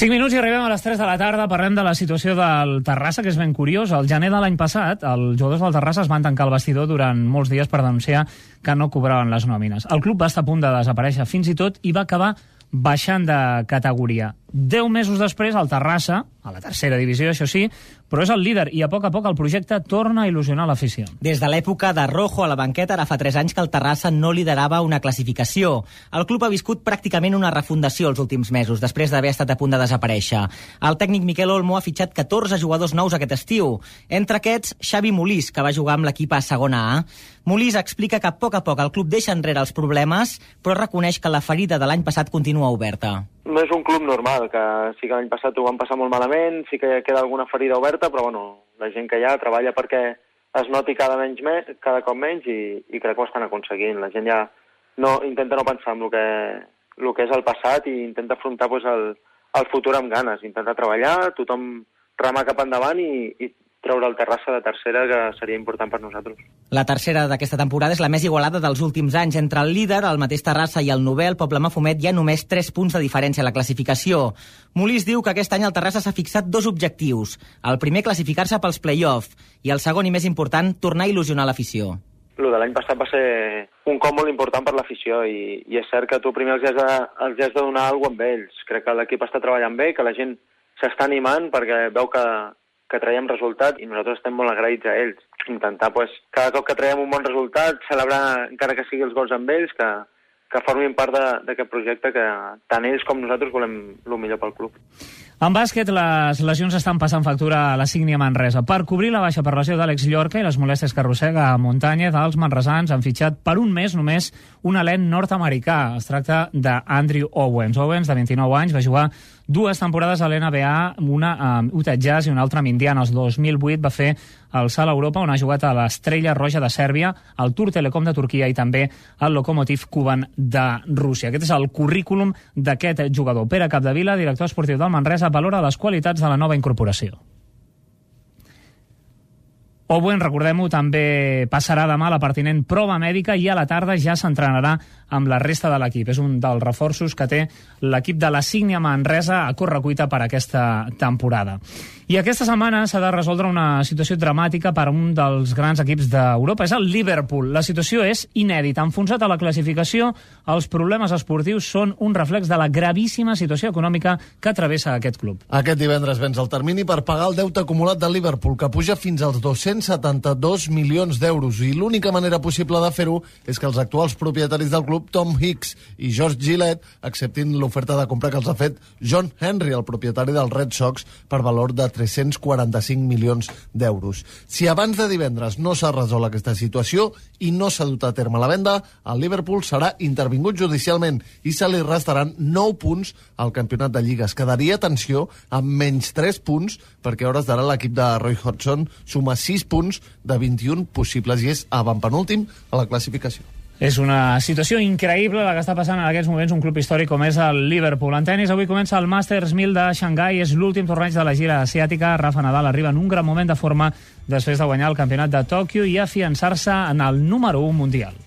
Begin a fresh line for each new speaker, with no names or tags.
5 minuts i arribem a les 3 de la tarda. Parlem de la situació del Terrassa, que és ben curiós. Al gener de l'any passat, els jugadors del Terrassa es van tancar al vestidor durant molts dies per denunciar que no cobraven les nòmines. El club va estar a punt de desaparèixer fins i tot i va acabar baixant de categoria. 10 mesos després, el Terrassa, a la tercera divisió, això sí, però és el líder i a poc el projecte torna a il·lusionar l'afició.
Des de l'època de Rojo a la banqueta, ara fa 3 anys que el Terrassa no liderava una classificació. El club ha viscut pràcticament una refundació els últims mesos, després d'haver estat a punt de desaparèixer. El tècnic Miquel Olmo ha fitxat 14 jugadors nous aquest estiu. Entre aquests, Xavi Molís, que va jugar amb l'equip a segona A. Molís explica que a poc el club deixa enrere els problemes, però reconeix que la ferida de l'any passat continua oberta.
No és un club normal, que sí que l'any passat ho van passar molt malament, sí que queda alguna ferida oberta, però bueno, la gent que hi ha treballa perquè es noti cada cop menys i crec que ho estan aconseguint. La gent ja intenta no pensar en el que és el passat i intenta afrontar el futur amb ganes, intenta treballar, tothom remar cap endavant i treure el Terrassa de tercera, que seria important per nosaltres.
La tercera d'aquesta temporada és la més igualada dels últims anys. Entre el líder, el mateix Terrassa, i el novè, el Poble Mafumet, hi ha només 3 punts de diferència a la classificació. Molís diu que aquest any el Terrassa s'ha fixat 2 objectius. El primer, classificar-se pels play-off, i el segon, i més important, tornar a il·lusionar l'afició.
El de l'any passat va ser un cop molt important per l'afició i és cert que tu primer els has de donar alguna cosa amb ells. Crec que l'equip està treballant bé, que la gent s'està animant perquè veu que traiem resultat i nosaltres estem molt agraïts a ells. Intentar, cada cop que traiem un bon resultat, celebrar, encara que sigui els gols amb ells, que formin part d'aquest projecte que tant ells com nosaltres volem el millor pel club.
En bàsquet, les lesions estan passant factura a la Sígnia Manresa. Per cobrir la baixa per lesió d'Àlex Llorca i les molèsties que arrossega a Muntanya, els manresans han fitxat per un mes només un alent nord-americà. Es tracta d'Andrew Owens. Owens, de 29 anys, va jugar 2 temporades a l'NBA, una amb Utah Jazz i una altra amb Indiana. El 2008 va fer el salt a Europa, on ha jugat a l'Estrella Roja de Sèrbia, al Tur Telecom de Turquia i també al Lokomotiv Kuban de Rússia. Aquest és el currículum d'aquest jugador. Pere Capdevila, director esportiu del Manresa, valora les qualitats de la nova incorporació. Owen, recordem-ho, també passarà demà la pertinent prova mèdica i a la tarda ja s'entrenarà amb la resta de l'equip. És un dels reforços que té l'equip de la Sígnia Manresa a correcuita per aquesta temporada. I aquesta setmana s'ha de resoldre una situació dramàtica per a un dels grans equips d'Europa. És el Liverpool. La situació és inèdita. Enfonsat a la classificació, els problemes esportius són un reflex de la gravíssima situació econòmica que travessa aquest club.
Aquest divendres vens el termini per pagar el deute acumulat del Liverpool, que puja fins als 272 milions d'euros. I l'única manera possible de fer-ho és que els actuals propietaris del club, Tom Hicks i George Gillett, acceptin l'oferta de compra que els ha fet John Henry, el propietari del Red Sox, per valor de 345 milions d'euros. Si abans de divendres no s'ha resolt aquesta situació i no s'ha dut a terme la venda, el Liverpool serà intervingut judicialment i se li restaran 9 punts al campionat de Lliga. Es quedaria, atenció, amb menys 3 punts, perquè a hores d'ara l'equip de Roy Hodgson suma 6 punts de 21 possibles i és avantpenúltim a la classificació.
És una situació increïble la que està passant en aquests moments un club històric com és el Liverpool. En tenis, avui comença el Masters 1000 de Xangai, és l'últim torneig de la gira asiàtica. Rafa Nadal arriba en un gran moment de forma després de guanyar el campionat de Tòquio i afiançar-se en el número 1 mundial.